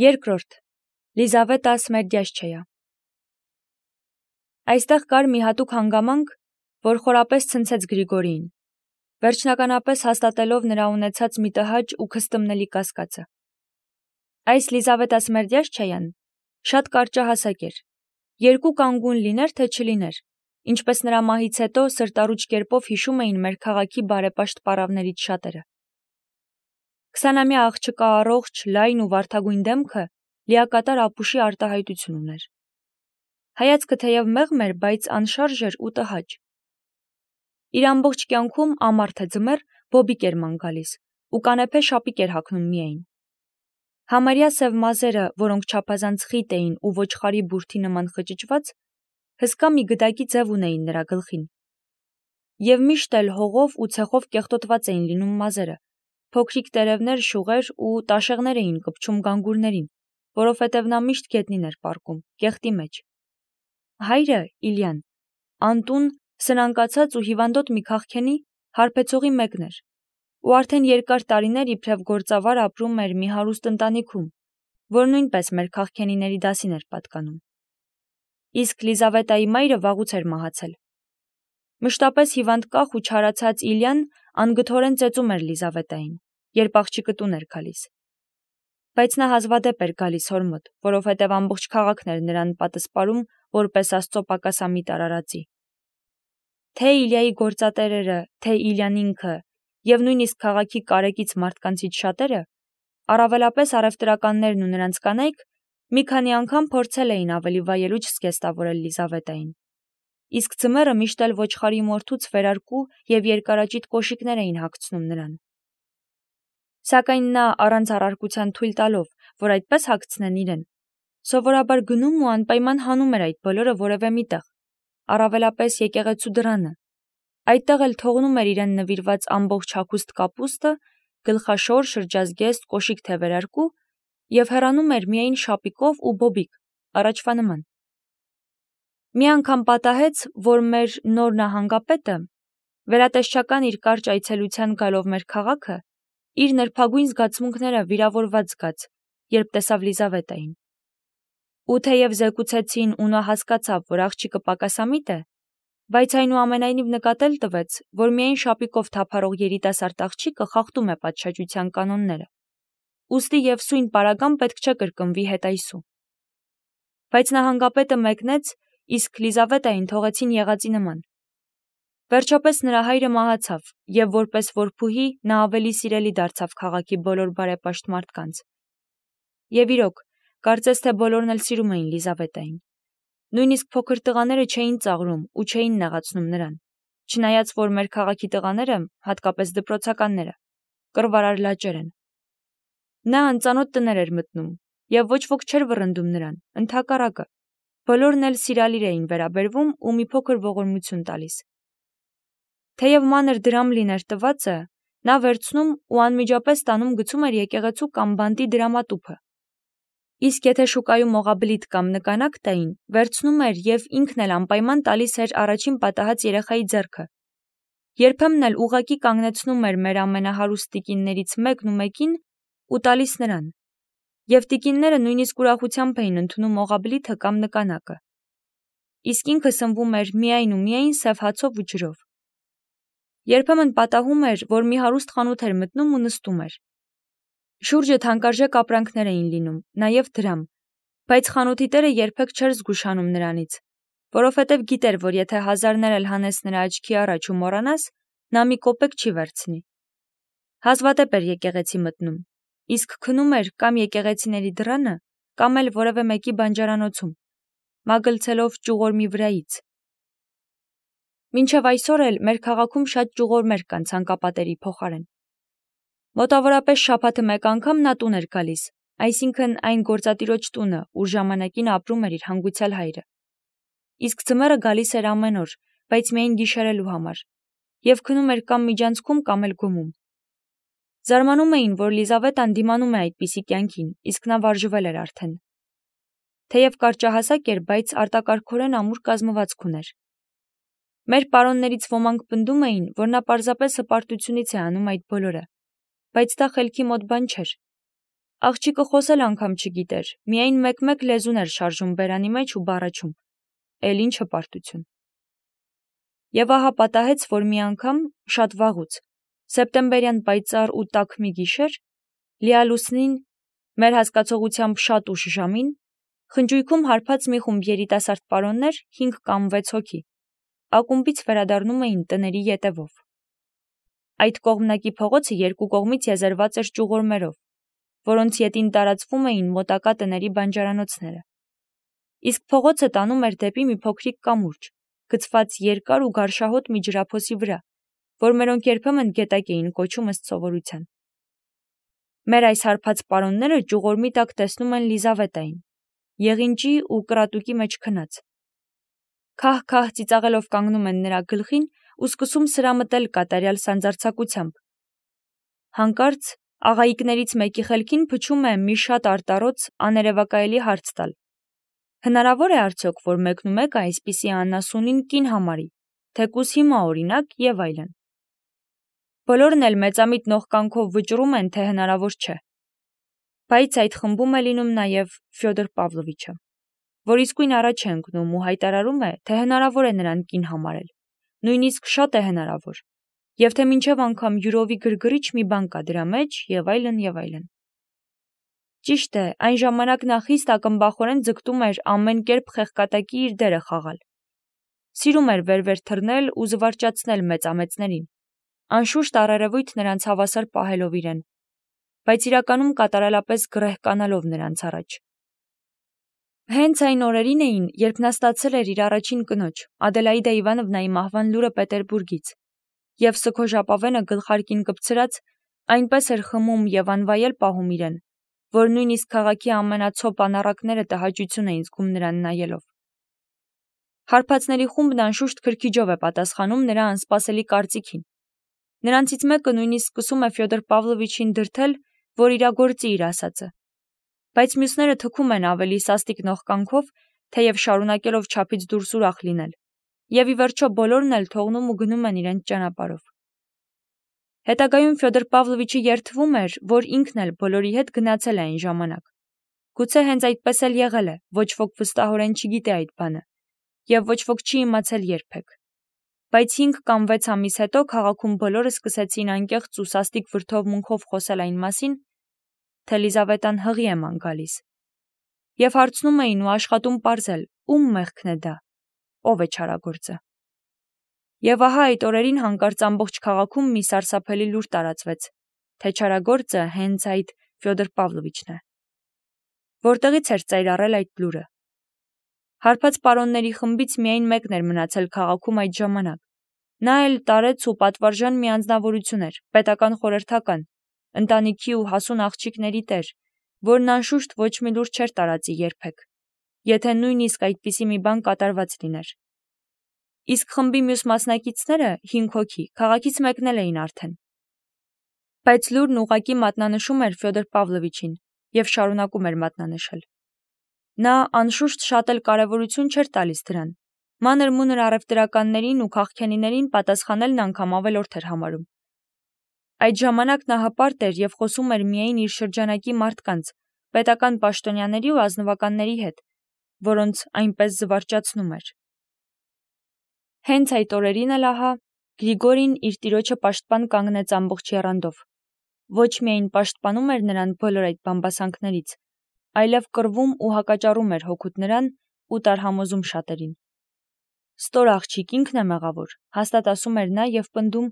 Երկրորդ. Լիզավետա Սմերդյաշչեյա։ Այստեղ կար մի հատուկ հանգամանք, որ խորապես ցնցեց Գրիգորիին, վերջնականապես հաստատելով նրա ունեցած մի տհաճ ու քստմնելի կասկածը։ Այս Լիզավետա Սմերդյաշչեյան շատ կարճահասակ էր, երկու կանգուն լիներ, թե չլիներ, ինչպես նրա մահից հետո սրտառուչ կերպով հիշում էին մեր քաղաքի բարեպաշտ պարավներից շատերը։ 20-ամյա աղջկա առողջ, լայն ու վարդագույն դեմքը լիակատար ապուշի արտահայտություն ուներ։ Հայացքը թեև մեղմ էր, բայց անշարժ էր ու տհաճ։ Իր ամբողջ կյանքում ամառ թե ձմեռ բոբիկ էր ման գալիս ու կանեփե շապիկ էր հագնում միայն։ Համարյա սև մազերը, որոնք չափազանց խիտ էին ու ոչխարի բուրդի նման խճճված, հսկա մի գդակի ձև ունեին նրա գլխին։ Եվ միշտ էլ հողով ու ցեխով կեղտոտված էին լինում մազերը, փոքրիկ տերևներ, շուղեր ու տաշեղներ էին կպչում գանգուրներին, որովհետև նա միշտ գետնին էր պառկում, կեղտի մեջ։ Հայրը, Իլյան, անտուն, սնանկացած ու հիվանդոտ մի քաղքենի հարբեցողի մեկն էր, ու արդեն երկար տարիներ իբրև գործավար ապրում էր մի հարուստ ընտանիքում, որ նույնպես մեր քաղքենիների դասին էր պատկանում։ Իսկ Լիզավետայի մայրը վաղուց էր մահացել։ Մշտապես հիվանդ կախ ու չարացած Իլյան անգթորեն ծեծում էր Լիզավետային, երբ աղջիկը տուն էր գալիս։ Բայց նա հազվադեպ էր գալիս հոր մոտ, որովհետև ամբողջ քաղաքն էր նրան պատսպարում որպես Աստծո պակասամիտ արարածի։ Թե Իլյայի գործատերերը, թե Իլյան ինքը, եւ նույնիսկ քաղաքի կարեկից մարդկանցից շատերը, առավելապես առևտրականներն ու նրանց կանայք, մի քանի անգամ փորձել էին ավելի վայելուչ զգեստավորել Լիզավետային։ Իսկ ձմեռը միշտ էլ ոչխարի մորթուց վերարկու եւ երկարաճիտ կոշիկներ էին հագցնում նրան։ Սակայն նա առանց առարկության թույլ տալով, որ այդպես հագցնեն իրեն, սովորաբար գնում ու անպայման հանում էր այդ բոլորը որևէ միտեղ, առավելապես եկեղեցու դռանը։ Այդտեղ էլ թողնում էր իրեն նվիրված ամբողջ հագուստ կապուստը, գլխաշոր, շրջազգեստ, կոշիկ թե վերարկու եւ հեռանում էր միայն շապիկով ու բոբիկ, առաջվա նման։ Մի անգամ պատահեց, որ մեր նոր նահանգապետը, վերատեսչական իր կարճ այցելության գալով մեր քաղաքը, իր նրբագույն զգացմունքները վիրավորված զգաց, երբ տեսավ Լիզավետային։ Ու թեև զեկուցեցին ու նա հասկացավ, որ աղջիկը պակասամիտ է, բայց այնուամենայնիվ նկատել տվեց, որ միայն շապիկով թափառող երիտասարդ աղջիկը խախտում է պատշաճության կանոնները, ուստի եւ սույն պարագան պետք չէ կրկնվի հետայսու։ Բայց նահանգապետը մեկնեց, իսկ Լիզավետային թողեցին եղածի նման։ Վերջապես նրա հայրը մահացավ, եւ որպես որբուհի նա ավելի սիրելի դարձավ քաղաքի բոլոր բարեպաշտ մարդկանց։ Եվ իրոք, կարծես թե բոլորն էլ սիրում էին Լիզավետային։ Նույնիսկ փոքր տղաները չէին ծաղրում ու չէին նեղացնում նրան, չնայած որ մեր քաղաքի տղաները, հատկապես դպրոցականները, կռվարար լաճեր են։ Նա անծանոթ տներ էր մտնում, եւ ոչ ոք չէր վռնդում նրան, ընդհակառակը, բոլորն էլ սիրալիր էին վերաբերվում ու մի փոքր ողորմություն տալիս։ Թեև մանր դրամ լիներ տվածը, նա վերցնում ու անմիջապես տանում գցում էր եկեղեցու կամ բանտի դրամատուփը։ Իսկ եթե շուկայում օղաբլիթ կամ նկանակ տային, վերցնում էր եւ ինքն էլ անպայման տալիս էր առաջին պատահած երեխայի ձեռքը։ Երբեմն էլ ուղակի կանգնեցնում էր մեր ամենահարուստ տիկիններից մեկն ու մեկին ու տալիս նրան։ Եվ տիկինները նույնիսկ ուրախությամբ էին ընդունում օղաբլիթը կամ նկանակը։ Իսկ ինքը սնվում էր միայն ու միայն սև հացով ու ջրով։ Երբեմն պատահում էր, որ մի հարուստ խանութ էր մտնում ու նստում էր։ Շուրջը թանկարժեք ապրանքներ էին լինում, նաև դրամ, բայց խանութի տերը երբեք չէր զգուշանում նրանից, որովհետև գիտեր, որ եթե հազարներ էլ հանես նրա աչքի առաջ ու մոռանաս, նա մի կոպեկ չի վերցնի։ Հազվադեպ էր եկեղեցի մտնում, իսկ քնում էր կամ եկեղեցիների դռանը, կամ էլ որևէ մեկի բանջարանոցում, մագլցելով ճյուղորմի վրայից։ Մինչև այսօր էլ մեր քաղաքում շատ ճյուղորմեր կան ցանկապատերի փոխարեն։ Մոտավորապես շաբաթը մեկ անգամ նա տուն էր գալիս, այսինքն այն գործատիրոջ տունը, ուր ժամանակին ապրում էր իր հանգուցյալ հայրը։ Իսկ ձմեռը գալիս էր ամեն օր, բայց միայն գիշերելու համար, եւ քնում էր կամ միջանցքում, կամ էլ գումում։ Զարմանում էին, որ Լիզավետան դիմանում է այդպիսի կյանքին, իսկ նա վարժվել էր արդեն։ Թեև կարճահասակ էր, բայց արտակարգորեն ամուր կազմվածք ուներ։ Մեր պարոններից ոմանք պնդում էին, որ նա պարզապես հպարտությունից է անում այդ բոլորը, բայց դա խելքի մոտ բան չէր։ Աղջիկը խոսել անգամ չգիտեր, միայն մեկ-մեկ լեզուն էր շարժում բերանի մեջ ու բառաչում. էլ ինչ հպարտություն։ Եվ ահա պատահեց, որ մի անգամ, շատ վաղուց, սեպտեմբերյան պայծառ ու տաք մի գիշեր, լիալուսնին, մեր հասկացողությամբ շատ ուշ ժամին, խնջույքում հարբած մի խումբ երիտասարդ պարոններ, 5 կամ 6 հոգի, ակումբից վերադառնում էին տների ետևով։ Այդ կողմնակի փողոցը երկու կողմից եզերված էր ճյուղորմերով, որոնց ետին տարածվում էին մոտակա տների բանջարանոցները։ Իսկ փողոցը տանում էր դեպի մի փոքրիկ կամուրջ, գցված երկար ու գարշահոտ մի ջրափոսի վրա, որ մերոնք երբեմն գետակ էին կոչում ըստ սովորության։ Մեր այս հարբած պարոնները ճյուղորմի տակ տեսնում են Լիզավետային, եղինջի ու կրատուկի մեջ քնած։ Քահ-քահ ծիծաղելով կանգնում են նրա գլխին ու սկսում սրամտել կատարյալ սանձարձակությամբ։ Հանկարծ աղայիկներից մեկի խելքին փչում է մի շատ արտառոց աներևակայելի հարց տալ. հնարավոր է արդյոք, որ մեկնումեկը այսպիսի անասունին կին համարի, թեկուզ հիմա օրինակ եւ այլն։ Բոլորն էլ մեծամիտ նողկանքով վճռում են, թե հնարավոր չէ։ Բայց այդ խմբում է լինում նաեւ Ֆյոդոր Պավլովիչը, որ իսկույն առաջ է ընկնում ու հայտարարում է, թե հնարավոր է նրան կին համարել, նույնիսկ շատ է հնարավոր, եւ թե մինչեւ անգամ յուրովի գրգռիչ մի բան կա դրա մեջ եւ այլն եւ այլն։ Ճիշտ է, այն ժամանակ նա խիստ ակմբախորեն ձգտում էր ամեն կերպ խեղկատակի իր դերը խաղալ։ Սիրում էր վեր-վեր թռնել ու զվարճացնել մեծամեծներին, անշուշտ առերևույթ նրանց հավասար պահելով իրեն, բայց իրականում կատարելապես գրեհկանալով նրանց առաջ։ Հենց այն օրերին էին, երբ նա ստացել էր իր առաջին կնոջ, Ադելաիդա Իվանովնայի մահվան լուրը Պետերբուրգից, եւ սքոժապավենը գլխարկին կպցրած այնպես էր խմում եւ անվայել պահում իրեն, որ նույնիսկ քաղաքի ամենացոփ անառակները տհաճություն էին զգում նրան նայելով։ Հարբածների խումբն անշուշտ քրքիջով է պատասխանում նրա անսպասելի կարծիքին։ Նրանցից մեկը նույնիսկ սկսում է Ֆյոդոր Պավլովիչին դրթել, որ իրագործի իր ասածը։ Բայց մյուսները թքում են ավելի սաստիկ նողկանքով, թեև շարունակելով չափից դուրս ուրախ լինել, եւ ի վերջո բոլորն էլ թողնում ու գնում են իրենց ճանապարհով։ Հետագայում Ֆյոդոր Պավլովիչը երդվում էր, որ ինքն էլ բոլորի հետ գնացել է այն ժամանակ։ Գուցե հենց այդպես էլ եղել է, ոչ ոք վստահորեն չգիտե այդ բանը, եւ ոչ ոք չի իմացել երբեք։ Բայց 5 կամ 6 ամիս հետո քաղաքում բոլորը սկսեցին անկեղծ ու սաստիկ վրդովմունքով խոսել այն մասին, թե Լիզավետան հղի է ման գալիս, եւ հարցնում էին ու աշխատում պարզել, ում մեղքն է դա, ով է չարագործը։ Եվ ահա այդ օրերին հանկարծ ամբողջ քաղաքում մի սարսափելի լուր տարածվեց, թե չարագործը հենց այդ Ֆյոդոր Պավլովիչն է։ Որտեղից էր ծայրառել այդ լուրը։ Հարբած պարոնների խմբից միայն մեկն էր մնացել քաղաքում այդ ժամանակ։ Նա էլ տարեց ու պատվարժան մի անձնավորություն էր, պետական խորհրդական, ընտանիքի ու հասուն աղջիկների տեր, որն անշուշտ ոչ մի լուր չէր տարածի երբեք, եթե նույնիսկ այդպիսի մի բան կատարված լիներ։ Իսկ խմբի մյուս մասնակիցները 5 հոգի քաղաքից մեկնել էին արդեն։ Բայց լուրն ուղղակի մատնանշում էր Ֆյոդոր Պավլովիչին եւ շարունակում էր մատնանշել։ Նա անշուշտ շատ էլ կարևորություն չէր տալիս դրան։ Մանր-մունր առևտրականներին ու քաղաքենիներին պատասխանելն անգամ ավելորդ էր համարում։ Այդ ժամանակ նա հպարտ էր եւ խոսում էր միայն իր շրջանակի մարդկանց, պետական պաշտոնյաների ու ազնվականների հետ, որոնց այնպես զվարճացնում էր։ Հենց այդ օրերին էլ ահա Գրիգորին իր տիրոջը պաշտպան կանգնեց ամբողջ եռանդով։ Ոչ միայն պաշտպանում էր նրան բոլոր այդ բամբասանքներից, այլև կռվում ու հակաճառում էր հօգուտ նրան ու տարհամոզում շատերին։ Ստոր աղջիկ ինքն է մեղավոր, հաստատ ասում էր նա եւ պնդում,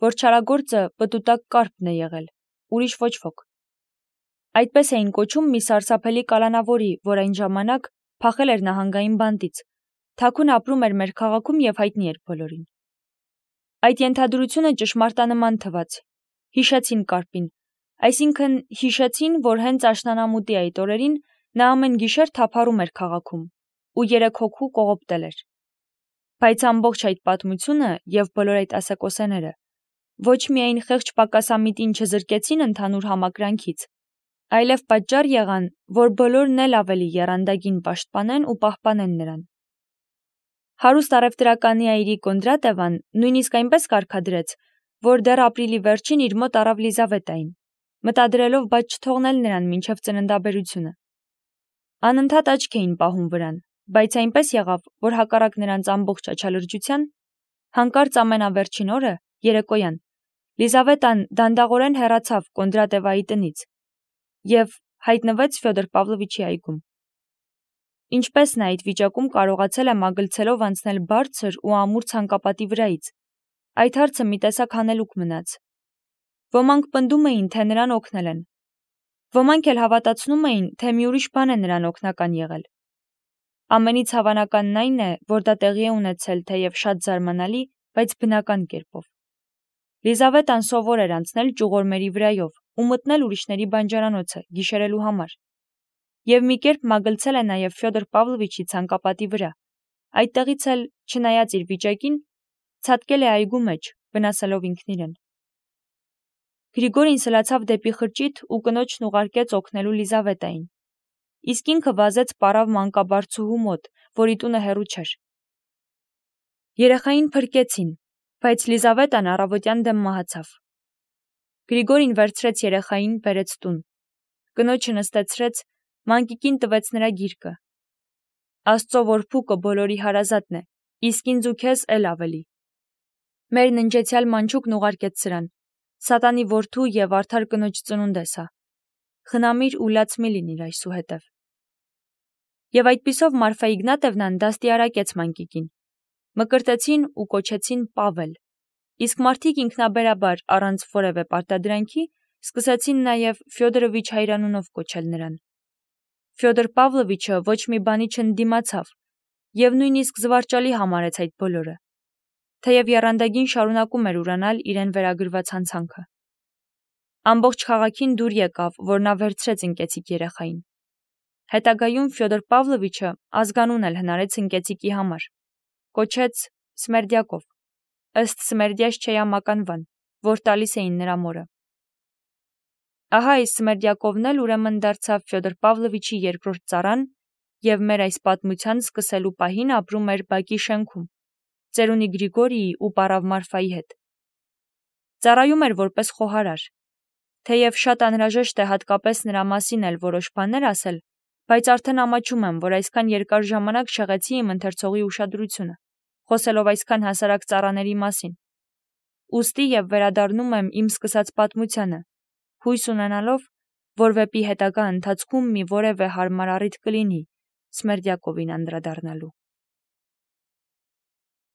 որ չարագործը պտուտակ կարպն է եղել, ուրիշ ոչ ոք։ Այդպես էին կոչում մի սարսափելի կալանավորի, որ այն ժամանակ փախել էր նահանգային բանտից, թաքուն ապրում էր մեր քաղաքում եւ հայտնի էր բոլորին։ Այդ ենթադրությունը ճշմարտանման թվաց։ Հիշեցին կարպին, այսինքն հիշեցին, որ հենց աշնանամուտի այդ օրերին նա ամեն գիշեր թափառում էր քաղաքում ու 3 հոգու կողոպտել էր։ Բայց ամբողջ այդ պատմությունը եւ բոլոր այդ ասեկոսեները ոչ միայն խեղճ պակասամիտին չզրկեցին ընդհանուր համակրանքից, այլև պատճառ եղան, որ բոլորն էլ ավելի եռանդագին պաշտպանեն ու պահպանեն նրան։ Հարուստ առևտրականի այրի Կոնդրատևան նույնիսկ այնպես կարգադրեց, որ դեռ ապրիլի վերջին իր մոտ առավ Լիզավետային մտադրելով բայց չթողնել նրան մինչև ծննդաբերությունը։ Անընդհատ աչք էին պահում վրան, բայց այնպես եղավ, որ հակառակ նրանց ամբողջ աչալրջության, հանկարծ ամենավերջին օրը, երեկոյան, Լիզավետան դանդաղորեն հեռացավ Կոնդրատևայի տնից և հայտնվեց Ֆյոդոր Պավլովիչի այգում։ Ինչպես նա այդ վիճակում կարողացել է մագլցելով անցնել բարձր ու ամուր ցանկապատի վրայից, այդ հարցը մի տեսակ հանելուկ մնաց։ Ոմանք պնդում էին, թե նրան օգնել են, ոմանք էլ հավատացնում էին, թե մի ուրիշ բան է նրան օգնական եղել։ Ամենից հավանականն այն է, որ դա տեղի է ունեցել թեև շատ զարմանալի, բայց բնական կերպով։ Լիզավետան սովոր էր անցնել ճյուղորմերի վրայով ու մտնել ուրիշների բանջարանոցը գիշերելու համար։ Եվ մի կերպ մագլցել է նաև Ֆյոդոր Պավլովիչի ցանկապատի վրա, այդտեղից էլ, չնայած իր վիճակին, ցատկել է այգու մեջ, վնասելով ինքն իրեն։ Գրիգորին սլացավ դեպի խրճիթ ու կնոջն ուղարկեց օգնելու Լիզավետային, իսկ ինքը վազեց պարավ մանկաբարձուհու մոտ, որի տունը հեռու չէր։ Երեխային փրկեցին, բայց Լիզավետան առավոտյան դեմ մահացավ։ Գրիգորին վերցրեց երեխային, բերեց տուն։ Կնոջը նստեցրեց, մանկիկին տվեց նրա գիրկը։ Աստծո որփուկը բոլորի հարազատն է, իսկ ինձ ու քեզ էլ ավելի։ Մեր ննջեցյալ մանչուկն ուղարկեց սրան, սատանի որդու և արդար կնոջ ծնունդ է սա։ Խնամիր ու լաց մի լինիր այսուհետև։ Եվ այդպիսով Մարֆա Իգնատևնան դաստիարակեց մանկիկին։ Մկրտեցին ու կոչեցին Պավել, իսկ մարդիկ ինքնաբերաբար առանց որևէ պարտադրանքի սկսեցին նաև Ֆյոդորովիչ հայրանունով կոչել նրան։ Ֆյոդոր Պավլովիչը ոչ մի բանի չընդդիմացավ և նույնիսկ զվարճալի համարեց այդ բոլորը, թեև եռանդագին շարունակում էր ուրանալ իրեն վերագրված հանցանքը։ Ամբողջ քաղաքին դուր եկավ, որ նա վերցրեց ընկեցիկ երեխային։ Հետագայում Ֆյոդոր Պավլովիչը ազգանուն էլ հնարեց ընկեցիկի համար, կոչեց Սմերդյակով, ըստ Սմերդյաշ չեյամականվան, որ տալիս էին նրա մորը։ Ահա այս Սմերդյակովն էլ ուրեմն դարձավ Ֆյոդոր Պավլովիչի երկրորդ ծառան և մեր այս պատմության սկսելու պահին ապրում էր բակի շենքում, ծերունի Գրիգորիի ու պարավ Մարֆայի հետ։ Ծառայում էր որպես խոհարար, թեև շատ անհրաժեշտ է հատկապես նրա մասին էլ որոշ բաներ ասել, բայց արդեն ամաչում եմ, որ այսքան երկար ժամանակ շեղեցի իմ ընթերցողի ուշադրությունը, խոսելով այսքան հասարակ ծառաների մասին։ Ուստի և վերադառնում եմ իմ սկսած պատմությանը, հույս ունենալով, որ վեպի հետագա ընթացքում մի որևէ հարմար առիթ կլինի Սմերդյակովին անդրադառնալու։